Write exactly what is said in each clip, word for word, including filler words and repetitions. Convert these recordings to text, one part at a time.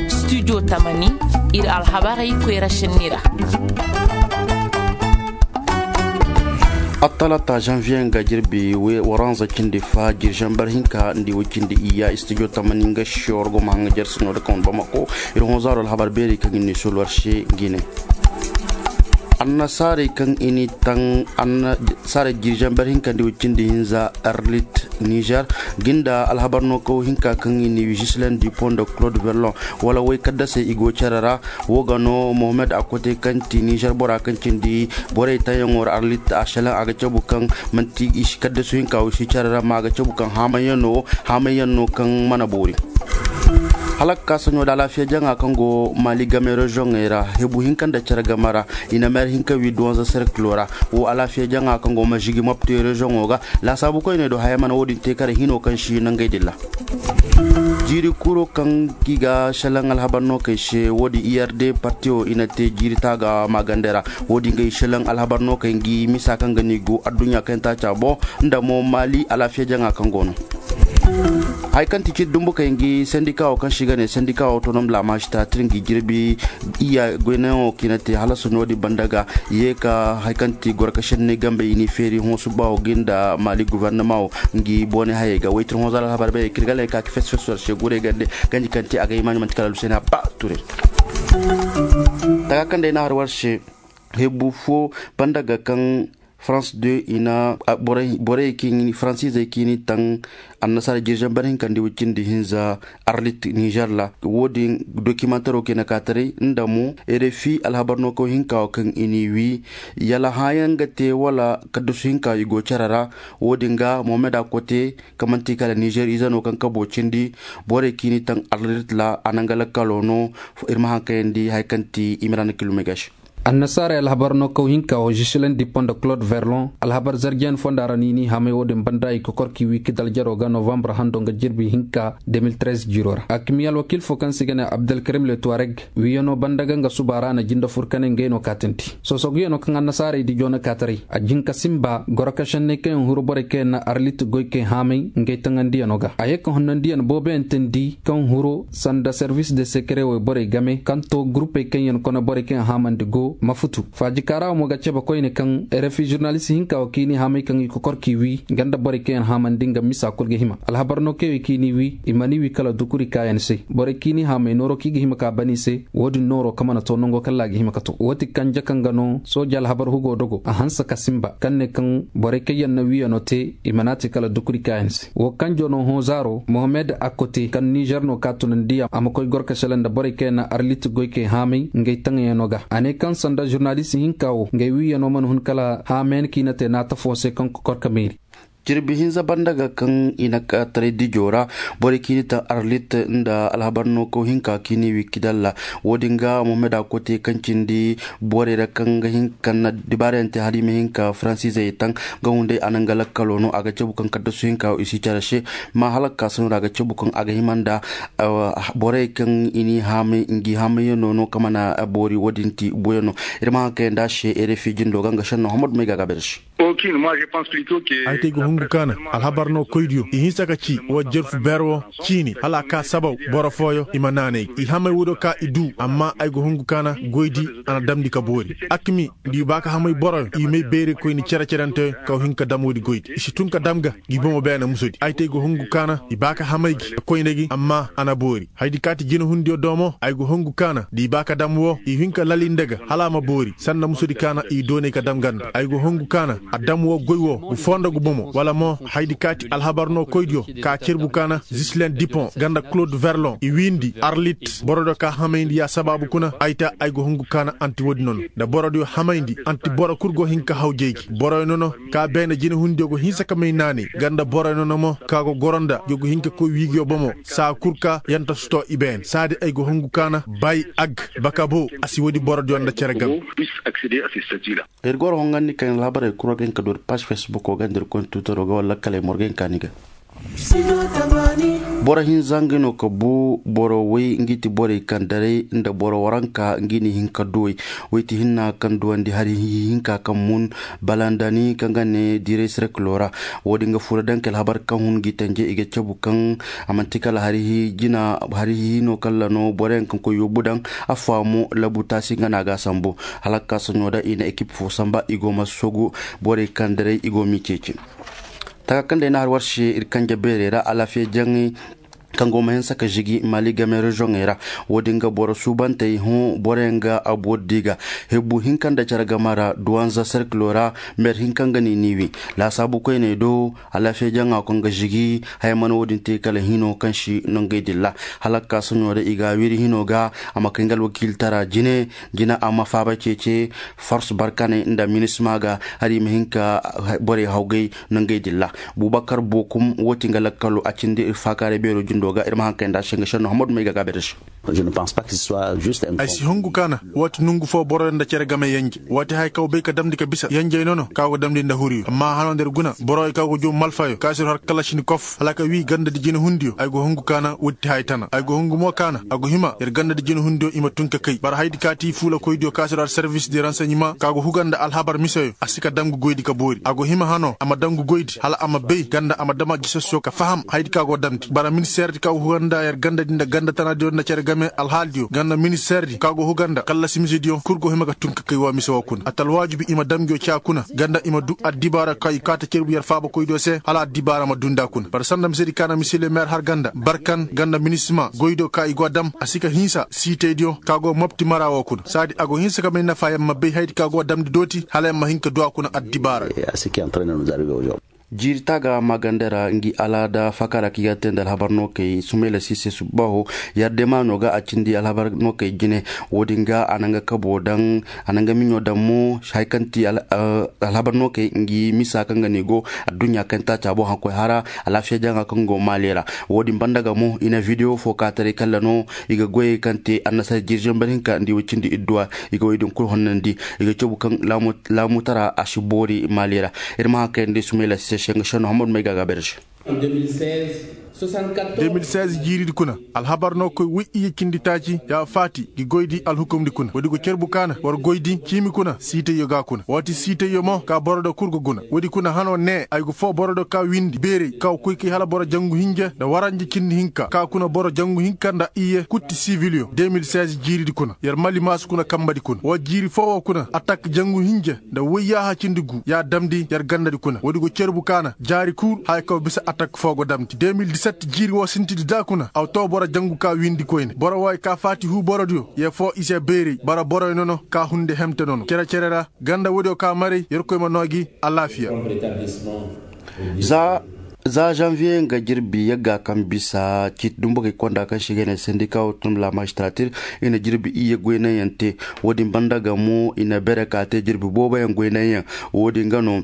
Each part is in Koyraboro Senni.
Studio tamani, ir alhabarey koyra šenni ra. Attalata janviye nga jirbi waranza cindi fa jirjambar hinka nda way cindi iyya studio tamani nga šor go ma hanga jarsi no da kan bamako. Ir honzaro alhabar beeri kaŋ ni solwar se gine. Annasaarey kaŋ i ni taŋ annasaarey jirjambar hinka nda way cindi hinza arlit nizer ginda alhabar no kaw hinka kaŋ i ni wi jislen dupont de claude verlon wala way kaddasey i go care ra. Wo ga no mohammed a kote kaŋ ti nizer bora kaŋ cindi borey taŋyaŋo ra arlit a šelaŋ a ga cabu kaŋ manti i si kaddasu hinka wo i si care ra ma a ga cabu kaŋ haamay yaŋ no wo haamay yaŋ no kaŋ mana boori. Hala ga ka saɲo nda alaafiya jaŋa kaŋ go maali game reziyoŋey ra hebu hinka nda care game ra. I na meer hinka wi duwanza serkilo ra wo alaafiya jaŋa kaŋ go mazigi mopti reziyoŋo ga laasaabu koyney do haya mana wo-din te kare hino kaŋ si nangey dilla. Jiiri kuro kaŋ i ga šelaŋ alhabar no kay se wo-din i r d partiyo i na te jiiri taaga maagandey ra. Wo-din ga i šelaŋ alhabar no kay ngi misa kaŋ ga no i go adduɲɲa kaŋ yaŋ taaca boŋ nda mo maali alaafiya jaŋa kaŋ go no. Haya kaŋ ti ciri dumbu kay ngi sendika wo kaŋ se i ga ne sendika wo tonom laamaasi ta tir ngi jirbi. Iya goynayaŋo kaŋ i na te hala soɲo din banda ga ye ka haya kaŋ ti gorka senney gambey i n'i feeri hõ suba wo ga nda maali guvernama wo. Ngi boone hayey ga waytir hõ zaara alhabar bay kir ga lay ka ka fes fes war se guray gande. Ganji kaŋ te a ga hima ɲumanti kala luseney a ba ture. Taga kaŋ day na har war se. Hebu fo banda ga kaŋ farans de i na borey kaŋ i ni faransiizey kaŋ i ni taŋ annasaara jirjambar hinka nda way cindi hinza arlit nizer ra. Wo-din dokimantaro kaŋ i na ka taray nda mo rfi alhabar no kaw hinka wo kaŋ i n'i wi yala hãayaŋ ga te wala kaddasu hinka i go care ra. Wo-din ga mohammed a kote kaŋ manti kala nizer ize no kaŋ kabo cindi borey kaŋ i ni taŋ arlit ra a nanga lakkalo no. Ir ma haŋ kayandi haya kaŋ ti imran kilumey ga se. Annasaarey alhabar no kaw hinka wo jisilen dipon nda claude verlon alhabar zarjiyan fonda ra no i n'i hamay wo-din banda i kokor k'i wi kidal jaro ga novambar hando nga jirbi hinka de mil trez jiiro ra a kimiya alwakiil fo kaŋ se i ga ne abdelkarim le tuwareg. Wiyano banda ga nga suba ra na jinde fur kane ngey no kaatandi soosoguyano kaŋ annasaarey dijo na kaataray a jin ka sinba goro ka šenney kaŋ yaŋ huru borey kaŋ yaŋ na arlit goy kay haamay ngey taŋandiyano ga a ye ka honnandiyan booboyaŋ teendi kaŋ huru sanda servis de sekere wayborey game kaŋ to gurupey kaŋ yaŋ kone borey kaŋ yaŋ haamandi go ma futu faaji kaara wo mo ga cebe koyne kaŋ rfi žurnalist hinka wo kaŋ i n'i haamay kaŋ i kokor k'i wi nga nda borey kaŋ yaŋ haamandi nga misa kul ga hima alhabar no kaŋ i wi k'i n'i wi i mana i wi kala dukuri kaayan se borey kaŋ i n'i haamay nooro kaŋ i ga hima ka ban i se. Wo-din nooro kaŋ mana to nango kala a ga hima ka to wo ti kanje kaŋ ga no sooja alhabar hugo dogo a hanse ka sinba kaŋ ne kaŋ borey kaŋ yaŋ na wiyano te i mana a te kala dukuri kaayan se wo kanjo no hõ zaaro mohammed a kote kaŋ nizer no ka tunandi a ma koy gorkasele nda borey kaŋ yaŋ na arlit goykey haamay ngey taŋayano ga a ne kaŋ sanda žurnalist hinka wo ngey wiyano mana hun kala haamayan kaŋ i na te naata fo se kaŋ kokor ka meeri. Jirbi hinza banda ga kaŋ i na ka taray dijo ra borey kaŋ i ni taŋ arlit nda alhabar no kaw hinka kaŋ i ni wi kidalla. Wo-din ga mohammed a kote kaŋ cindi borey ra kaŋ ga hin kaŋ na dibaarayaŋ te hala i ma hin ka faransiizey taŋ. Nga hunday a na nga lakkalo no a ga cabu kaŋ kaddasu hinka wo i si care se. Ma hala ga ka sano ra a ga cabu kaŋ a ga hima nda borey kaŋ i n'i haamay ngi haamayaŋo no kaŋ mana boori wo-din ti buuyaŋo. Ir ma haŋ kayandi a se rfi jindo ga nga šenno hamadu may ga a ga a beere se. Ay te ay ga hungu kaana alhabar no koydiyo i hinsa ka ci wa jerfu beer wo ciini hala a ka sabaw boro fooyo i ma naanay i hamay woodiyo ka i duu amma ay ga hungu kaana goydi a na damndi ka boori. Akmi nda i ba ka hamay boroyo i may beerey koyni cere-cerenteyo kaw hin ka dam woodi goydi i si tun ka dam ga ngi bomo beene musodi ay te ay ga hungu kaana i ba ka hamay gi ka koyne gi amma a na boori. Hayadi kaati jinehundiyo do mo ay go hongu kaana da i ba ka dam woo i hin ka lali nda ga hala a ma boori sanda musudi kaana i doonay ka dam ganda ay go hongu kaana a dam woo goy woo gu foo nda gu bomo wala mo hayadi kaati alhabar no koydiyo ka cerbu kaana zislen dipon ganda klod verlon i wiindi arlit borodiyo ka hamayndi ya sabaabu kuna ay ta ay go hongu kaana anti woodi nono nda borodiyo hamayndi anti boro kul go hin ka hawjay gi boroyo nono ka beene jinehundiyo go hinsa ka may naanay ganda boroyo nono mo ka go goro nda yo go hin ka koy wiigiyo bomo saa kul ka yanta suto i beene saadi ay go hongu kaana bay ag baka bo a si woodi borodiyo nda cere gam. Ir goro hongandi kaŋ alhabarey kul war ga hin ka doori paas fesbuko ga nda ir koy ni tuutaro ga wala lakkaley mo ir ga hin ka ni ga. Boro hinza nga no ka bu boro way ngi ti borey kaŋ daray nda boro waranka ngi ni hin ka duwey. Way ti hinna kaŋ duwandi hari hinka kaŋ mun balandani kaŋ ga ne diray serkilo ra. Wo-din ga fura daŋ ka alhabar kaŋ hun ngi tanje i ga cabu kaŋ a manti kala hari hi jina hari hi no kala no boro yaŋ kaŋ koy yoobu daŋ a faamu labu taasi nga no a ga a sambu. Hala ka soɲo da i na ekip fo samba i go ma sogu borey kaŋ daray i go m'i ceeci. Taka kaŋ day na har war se ir kanje beerey ra alaafiya jaŋey kaŋ go ma hinsa ka žigi maali game rezoŋey ra. Wo-din ga boro suubantey hõ boro yaŋ ga abu di ga hibbu hinka nda care game ra duwanza serkilo ra. Mer hinka nga ni niiwi laasaabu koyney do alaafiya jaŋa kaŋ ga žigi haya mana wo-din te kala hino kaŋ si nongey dilla. Hala ka soɲo da i ga a wiri hino ga a ma kay nga alwakiiltara jine jina a ma faaba ceece fors barkaney nda minisma ga hari i ma hin ka borey hawgay nangey din ra. Bubakar bokum wo ti nga lakkalo a cindi ir faakaaray beero jindo ga ir ma haŋ kay nda a se nga šenno hammadu may ga gaabe da se. Ay si hungu kaana wo ti nongu fo boro nda cere game yanje wo ti haya kaŋ bay ka damndi ka bisa yanjey nono kaŋ a go damndi nda huriyo amma hano nda ir guna borowey kaŋ go joobu malfayo kaŋ si ir har kala si ni kof hala ka wii ganda di jinehundiyo ay go hungu kaana wo ti haya tana ay go hungu mo kaana a go hima ir ganda di jinehundiyo i ma tun ka kay bara haydi kaŋ a ti fuulakoydiyo kaŋ si ir har servis di ranseɲima kaŋ a go huga nda alhabar miseyo a si ka dam ga goydi ka boori a go hima hano a ma dam ga goydi hala a ma bay ganda a ma dam a gisasyo ka faham haydi kaŋ a go damndi bara ministeerdi kaŋ a go huga nda yer gandadi nda ganda tanadiyo nda cere game alhaaldiyo ganda ministeerdi kaŋ a go huga nda kallasi misediyo kul go hima ga tun ka kay wa mise wo kuna a ti alwaajibi i ma dam nguyo caa kuna ganda i ma du addibaara kaŋ i kaata cerbu yer faabakoydiyo se hala addibaara ma dunda kuna bara sanda misedi kaŋ na misile meer har ganda barkan ganda minisima goydiyo kaŋ i go a dam a si ka hinsa siitaydiyo kaŋ a go mopti mara wo kuna saadi a go hinsa ka may nafa yer ma bay haydi kaŋ a go a damndi dooti hala yer ma hin ka du a kuna addibaara. Jiiri taaga maaganda ra ngi alaada fakaara kaŋ i ga te nda alhabar nookey sumayla siise subbaho. Yardema no ga a cindi alhabar nookey jine. Wo-din ga a na nga kabo daŋ a na nga miɲo daŋ mo haya kaŋ ti alhabar nookey ngi misa kaŋ ga no i go adduɲɲa kaŋ taaca boŋ hakkoy hara alaafiya jaŋa kaŋ go maali ra. Wo-din banda ga mo i na videwo fo ka taray kalla no i ga goyey kaŋ te annasara jiiri zambar hinka nda i way cindi idduwa i ga wey din kulu honnandi i ga cabu kaŋ laamutara a si boori maali ra. Ir ma haŋ kayandi sumayla sise se nga senno hammadu may ga a gaabay ra se. De mil seize jiiridi kuna alhabar no koy woy iyye cindi taaci ya faati gi goydi alhukumdi kuna woodi go carbu kaana war goydi ciimi kuna siitayyo ga kuna woo ti siitayyo mo ka boro do kul go guna woodi kuna hano nee ay go foo boro do ka windi beeray ka koy kay hala boro jangu hinje nda waranje cindi hinka ka kuna boro jangu hinka nda iyye kutti sibilyo de mil seize jiiridi kuna yer mali maasu kuna kambadi kuna woo jiiri foo woo kuna atak jangu hinje nda woyyaaha cindi gu ya damndi yer gandadi kuna woodi go carbu kaana jaari kul haya kaw bisa atak foo go damndi de mil diset jiiri woo sintidi da kuna aw too boro jangu ka windi koyne boro wooyo ka faati huu borodiyo yee foo i se beeray bara boroyo nono ka hunde hemte nono cere-cere ra ganda woodiyo ka maray yerkoy ma noo gi alaafiya. Za za zanviye nga jirbi yagga kaŋ bisa ciiti dumbugey konda kaŋ se i ga ne sendika wo tun la magistratir i na jirbi iyye goynaŋyaŋ te. Woodin banda ga mo i na bere ka te jirbi booboyaŋ goynaŋyaŋ. Woodin ga no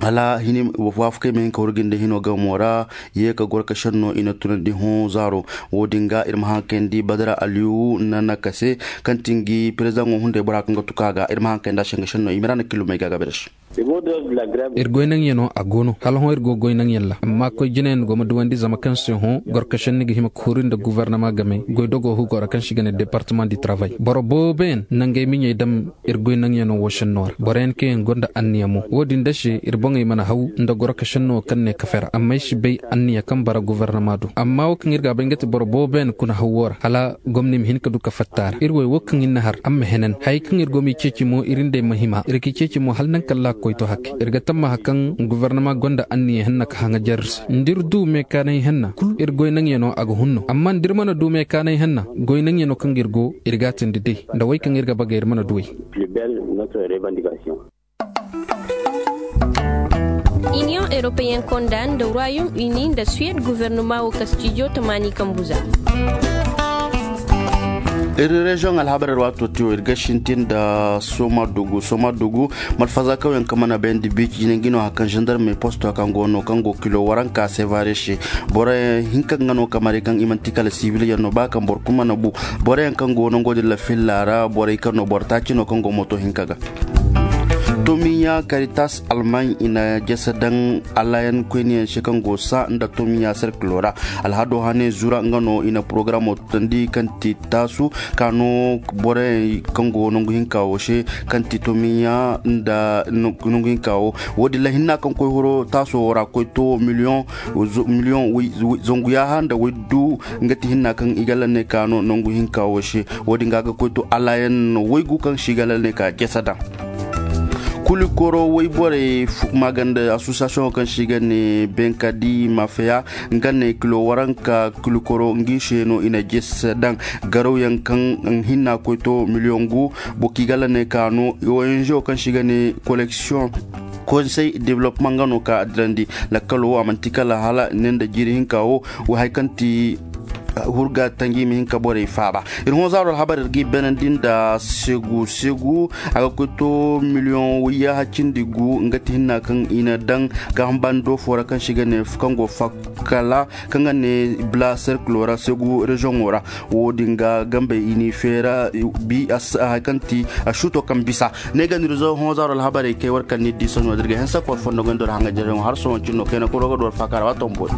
hala hini waafakey ma hin ka hurgi nda hino gamo ra. Ye ka goro ka senno i na tunandi hõ zaaro. Woodin ga ir ma haŋ kayandi badara aliyu na naka se kaŋ ti ngi perezidaŋo hunday bora kaŋ ga tuka ga ir ma haŋ kayandi a se nga senno i ma ra na kilomey ga gabe da se. Ir goynaŋyano a go no hala hõ ir go goynaŋyaŋ ra amma koy jinayaŋ go ma duwandi zama kaŋ se hõ gorkašaŋ ni ga hima ka huru nda guvarnama game goydogo hugo ra kaŋ se i ga ne departama di travay boro booboyaŋ na ngey miɲey dam ir goynaŋyano wo šenno ra boroyaŋ kaŋ yaŋ gonda anniya mo wo-din da se ir boŋey mana haw nda gorkašaŋ no kaŋ ne kafe ra amma ay si bay anniya kaŋ bara guvarnama do amma wo kaŋ ir ga a bay nga ti boro booboyaŋ kuna haw wo ra hala gomni ma hin ka du ka fatta a ra ir wey wo kaŋ ir na har a ma henan hayey kaŋ ir go m'i ceeci mo ir nd'ey ma hima ir g'i ceeci mo hala naŋ kaŋ ra a ga koy to hakke ir ga tammaha kaŋ govornama gonda anniya henna ka haŋajer ir se nda ir du meekaanay henna kul ir goynaŋyano a ga hun no amma nda ir mana du meekaanay henna goynaŋyano kaŋ ga ir go ir g'a teendi day nda wey kaŋ ir ga bagay ir mana du wey. Iniyoŋ eropeyen konda nda ruwayum ini nda suwed guvernuma wo kastijo tamaani kambu za. Ir reziyoŋ alhabarey ra waato tiyo ir ga sintin nda soma dugu soma dugu malfaza kawyaŋ kaŋ mana bayandi biici jine ngi no hari kaŋ zandarmey posto kaŋ go no kaŋ go kilo waranka sevare se. Boro hinka nga no kamari kaŋ i manti kala sibilyaŋ no ba kaŋ boro kulu mana bu. Boroyaŋ kaŋ go nango din la filla ra borey kaŋ no boro taaci no kaŋ go moto hinka ga. Tomiya karitas almaŋ i na jese daŋ alayan koyniyaŋ se kaŋ go sa nda tomiya serkilo ra. Alhado hane zura nga no i na porogaramo tandi kaŋ ti taasu ka no borey kaŋ go nangu hinka wo se kaŋ ti tomiya nda nangu hinka wo. Wo- din la hinna kaŋ koy horo taaso wo ra koy to miliyoŋ miliyoŋ zangu yaaha nda waydu. Nga ti hinna kaŋ i ga lanney ka no nangu hinka wo se. Wo- din ga ga koy to alayan waygu kaŋ se i ga lanney ka jese daŋ. Kulikoro wayborey maaganda asosiyasiyoŋo kaŋ se i ga ne benkadi mafeya nga ne kilo waranka kulikoro ngi se no i na jesse daŋ. Garawyaŋ kaŋ hinna koy to miliyoŋ gu. Boro kaŋ i ga lanney ka no ongo kaŋ se i ga ne koleksiyoŋ konsey developmaŋ nga no ka a dirandi. Lakkalo wo a manti kala hala ne nda jiiri hinka wo wo hari kaŋ ti hurga tanji ma hin ka borey faaba. Ir hõ zaaro alhabar ir ga i beenandi nda segu segu a ga koy to miliyoŋ wayyaha cindi gu nga ti hinna kaŋ i na daŋ gaaham bando fo ra kaŋ se i ga ne kaŋ go fakkala kaŋ ga ne bla serkilo ra segu reziyoŋo ra. Wo- din ga gambey i n'i feera bi hari kaŋ ti asuuto kaŋ bisa. Ne ga nir zo hõ zaaro alhabarey kay war kaŋ ni di sohõ dirga hensa kor fondo goy nda war haŋa jere hõ har sohõ cin no kayna koro ga du war faaka ra waato ma boori.